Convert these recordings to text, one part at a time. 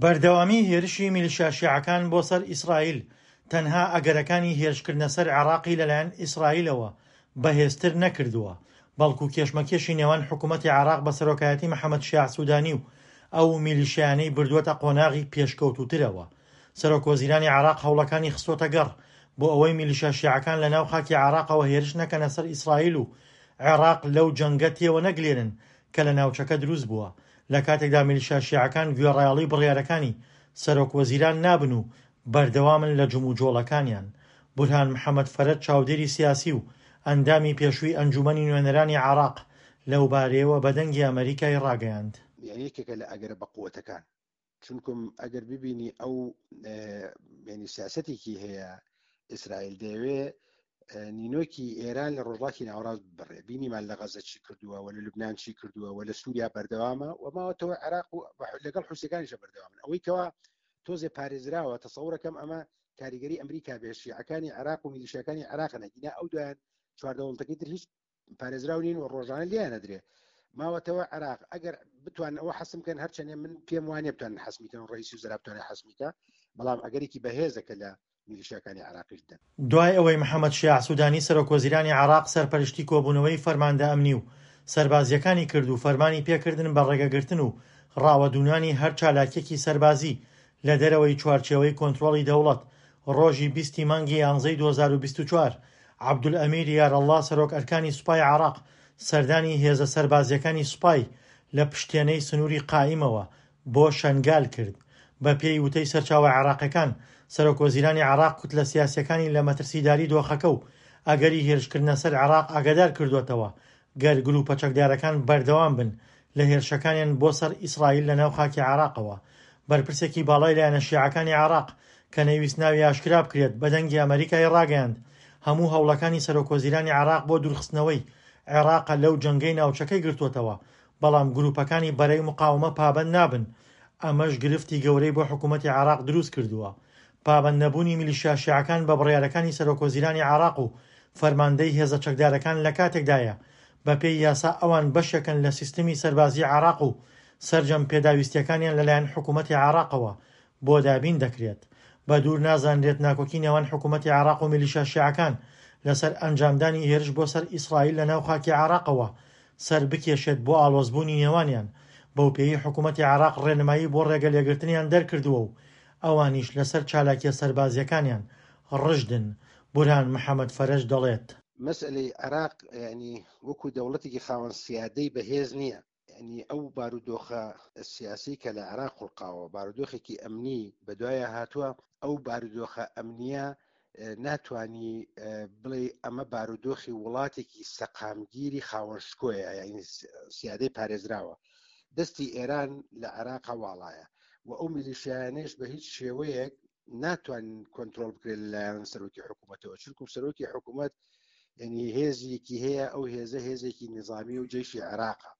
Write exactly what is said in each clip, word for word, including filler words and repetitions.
بەردەوامی هێرشی میلیشیا شیعەکان بۆ سەر ئیسرائیل تەنها ئەگەرەکانی هێرشکردنە سەر عێراقی لەلایەن ئیسرائیلەوە بەهێزتر نەکردووە، بەڵکو کێشمەکێشی نێوان حکومەتی عێراق بە سەرۆکایەتی محەمەد شیاع سودانی و ئەو میلیشیانەی بردووەتە قۆناغی پێشکەوتووترەوە. سەرۆک وەزیرانی عێراق هەوڵەکانی خستۆتە گەڕ بۆ ئەوەی میلیشیا شیعەکان لە ناو خاکی عێراقەوە هێرش نەکەنە سەر ئیسرائیل و عێراق لەو جەنگە تێوە نەگلێنن کە لە ناوچەکە دروست بووە، لە کاتێکدا میلیشیا شیعەکان گوێڕایەڵی بڕیارەکانی سەرۆک وەزیران نابن و بەردەوامن لە جموجۆڵەکانیان. بورهان محەمەد فەرەج چاودێری سیاسی و ئەندامی پێشووی ئەنجومەنی نوێنەرانی عێراق لەوبارەیەوە بە دەنگی ئەمەریکای ڕاگەیاند. یعنی یەکێکە لە ئەگەرە بەقوەتەکان، چونکم ئەگەر ببینی ئەو یعنی سیاسەتێکی هەیە ئیسرائیل دەیەوێ نینۆکی ئێران لە ڕۆژهەڵاتی ناوەڕاست ببڕێ. بینیمان لە غەزە چی کردووە و لە لوبناان چی کردووە و لە سووریا بەردەوامە و ماوەتەوە عێراق و لەگەڵ حوسیەکانیشە بەردەوامن. ئەوەی کەوا تۆزێ پارێزراوە تەسەورەکەم ئەمە کاریگەری ئەمریکا بێ، شیعەکانی عێراق و میلیشیاکانی عێراق نەگینا ئەو دوایان چوار دەوڵەتەکەی تر هیچ پارێزراو نین و ڕۆژانە لێیان نەدرێ. ماوەتەوە عێراق ئەگەر بتوانن ئەوە حەسم بکەن، هەرچەندێ من پێم وانیە بتوانن حەسمی کەن و ڕئیسی وزەرا بتوانێت حەسمی کە، بەڵام ئەگەرێکی بەهێزە کە لە میلیشیاکانی عێراقیش بدەن. دوای ئەوەی محەمەد شیاع سودانی سەرۆک وەزیرانی عێراق سەرپەرشتی کۆبوونەوەی فەرماندە ئەمنی و سەربازییەکانی کرد و فەرمانی پێکردن بە ڕێگەگرتن و ڕاوەدوونانی هەر چالاکیەکی سەربازی لە دەرەوەی چوارچێوەی کۆنترۆڵی دەوڵەت، ڕۆژی بیستی مانگی یانزەی دوو هەزار و بیست و چوار عەبدولئەمیر یارەڵڵا سەرۆک ئەرکانی سوپای عێراق سەردانی هێزە سەربازییەکانی سوپای لە پشتێنەی سنووری قائیمەوە بۆ شەنگال کرد. بەپێی وتەی سەرچاوە عێراقیەکان، سەرۆک وەزیرانی عێراق کوتلە سیاسیەکانی لە مەترسیداری دۆخەکە و ئەگەری هێرشکردنە سەر عێراق ئاگادار کردووەتەوە گەر گروپە چەکدارەکان بەردەوام بن لە هێرشەکانیان بۆ سەر ئیسرائیل لە ناو خاکی عێراقەوە. بەرپرسێکی باڵای لایەنە شیعەکانی عێراق کە نەیویست ناوی ئاشکرا بکرێت بە دەنگی ئەمەریکای ڕاگەیاند هەموو هەوڵەکانی سەرۆک وەزیرانی عێراق بۆ دوورخستنەوەی عێراقە لەو جەنگەی ناوچەکەی گرتووەتەوە، بەڵام گروپەکانی بەرەی مقاومە پابەند نابن، ئەمەش گرفتی گەورەی بۆ حکوومەتی عێراق دروست کردووە. پابەند نەبوونی میلیشیا شیعەکان بە بڕیارەکانی سەرۆک وەزیرانی عێراق و فەرماندەی هێزە چەکدارەکان لە کاتێکدایە بەپێی یاسا ئەوان بەشێکن لە سیستمی سەربازی عێراق و سەرجەم پێداویستیەکانیان لەلایەن حکوومەتی عێراقەوە بۆ دابین دەکرێت. بە دوور نازانرێت ناکۆکی نێوان حکوومەتی عێراق و میلیشیا شیعەکان لەسەر ئەنجامدانی هێرش بۆ سەر ئیسرائیل لە ناو خاکی عێراقەوە سەر بکێشێت بۆ ئاڵۆزبوونی نێوانیان، بەو پێی حکوومەتی عێراق ڕێنمایی بۆ ڕێگە لێگرتنیان دەرکردووە و ئەوانیش لەسەر چالاکیە سەربازیەکانیان ڕژدن. بورهان محەمەد فەرەج دەڵێت: مەسئلەی عێراق یعنی وەکو دەوڵەتێکی خاوەن سیادەی بەهێز نییە، یعنی ئەو بارودۆخە سیاسی کە لە عێراق خوڵقاوە، بارودۆخێکی ئەمنی بەدوایە هاتووە، ئەو بارودۆخە ئەمنیە ناتوانی بڵێ ئەمە بارودۆخی وڵاتێکی سەقامگیری خاوەن شکۆیە، یعنی سیادەی پارێزراوە. دەستی ئێران لە عێراق واڵایە و ئەو میلیشیانەش بە هیچ شێوەیەک ناتوانن کۆنترۆڵ بکرێت لەلایەن سەرۆکی حکوومەتەوە، چونکو سەرۆکی حکوومەت یعنی هێزێکی هەیە، ئەو هێزە هێزێکی نظامی و جەیشی عێراقە،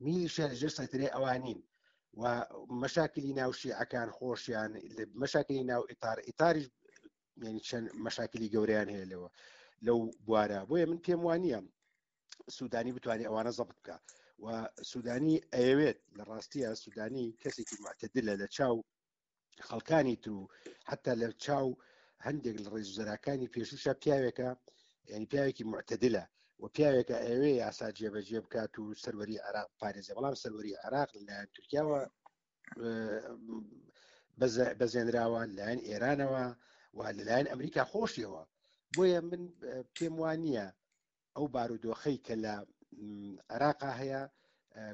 میلیشیا لەژێر سەیتەرەی ئەوانین و مەشاکلی ناو شیعەکان خۆشیان، مەشاکلی ناو ئیتار، ئیتاریش یعنی چەند مەشاکلی گەورەیان هەیە لەوە لەو بوارە. بۆیە من پێم وانییە سوودانی بتوانێت ئەوانە زەبت بکە و سوودانی ئەیەوێت لە ڕاستیە سوودانی کەسێکی معتدلە لە چاو خەڵکانی تر و حتا لە چاو هەندێک لە ڕێزوزەراکانی پێشوشە پیاوێکە، یعنی پیاوێکی معتدلە و پیاوێکە ئەوێ یاسا جێبەجێ بکات و سەروەری عێراق پارێزێ، بەڵام سەروەری عێراق لەلایەن تورکیاوە بەزێنراوە، لەلایەن ئێرانەوە و لەلایەن ئەمریکا خۆشیەوە. بۆیە من پێم وانییە ئەو بارودۆخەی کە لە عێراقا هەیە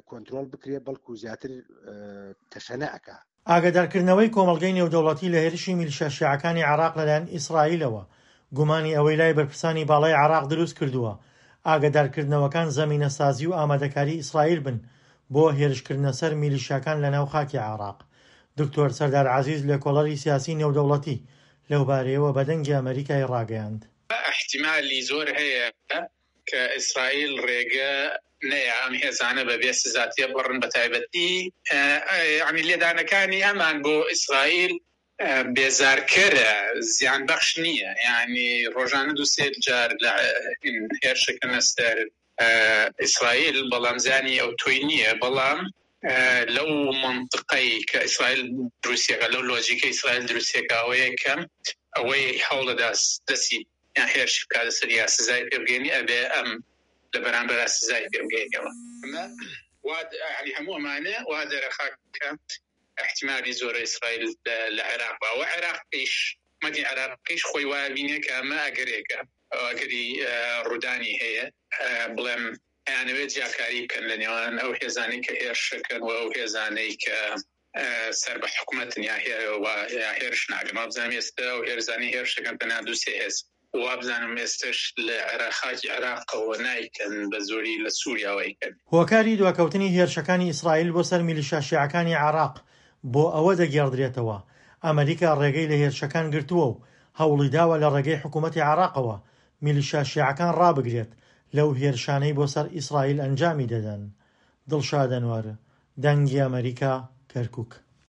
کۆنترۆڵ بکرێت، بەڵکو زیاتر تەشەنە ئەکا. ئاگادارکردنەوەی کۆمەڵگەی نێودەوڵەتی لە هێرشی میلیشیا شیعەکانی عێراق لەلایەن ئیسرائیلەوە گومانی ئەوەی لای بەرپرسانی باڵای عێراق دروست کردووە ئاگادارکردنەوەکان زەمینەسازی و ئامادەکاری ئیسرائیل بن بۆ هێرشکردنە سەر میلیشیاکان لەناو خاکی عێراق. دکتۆر سەردار عەزیز لێکۆڵەری سیاسی نێودەوڵەتی لەوبارەیەوە بە دەنگی ئەمەریکای ڕاگەیاند. احتیمالی زۆر هەیە کە ئیسرائیل ڕێگە نەیە ئەم هێزانە بەبێ سزا تێبڕن، بە تایبەتی یعنی لێدانەکانی ئەمان بۆ ئیسرائیل بێزارکەرە، زیان بەخش نییە. یعنی ڕۆژانە دوو سێ جار لە هێرشەکەنە سەر ئیسرائیل، بەڵام زیانی ئەو تۆی نییە. بەڵام لەو مەنتقەی کە ئیسرائیل دروستیەکە، لەو لۆجیکە ئیسرائیل دروستیەکە ئەوەیە کە ئەوەی هەوڵدەدا دەستی یان هێرشی بکاتە سەر یا سزای پێ بگەینی ئەبێ ئەم لە بەرامبەرا سزای پێ بگەینەوە. ئەمە وا یعنی هەموو ئەمانە وا دەرەخا کە احتیمالی زۆرە ئیسرائیل لە عێراق با و عێراقیش حکومەتی عێراقیش خۆی وایە بینێ کە ئەمە ئەگەرێکە ئەگەری ڕوودانی هەیە بڵێم ئەیانەوێت جیاکاری بکەن لە نێوان ئەو هێزانەی کە هێرشەکەن و ئەو هێزانەی کە سەر بە حکومەتن یا هێرش ناکەن. وابزانم ئێستا ئەو هێرزانەی هێرشەکەن تەنها دوو سێ هێز، وابزانم ئێستش لە عێراق خاکی عێراقەوە نایکەن، بە زۆری لە سووریاوە ئەیکەن. هۆکاری دواکەوتنی هێرشەکانی ئیسرائیل بۆ سەر میلیشیا شیعەکانی عێراق بۆ ئەوە دەگێڕدرێتەوە، ئەمریکا ڕێگەی لە هێرشەکان گرتووە و هەوڵیداوە لە ڕێگەی حکومەتی عێراقەوە میلیشیا شیعەکان ڕابگرێت لەو هێرشانەی بۆ سەر ئیسرائیل ئەنجامی دەدەن. دڵشاد ئەنوەر، دەنگی ئەمەریکا، کەرکوک.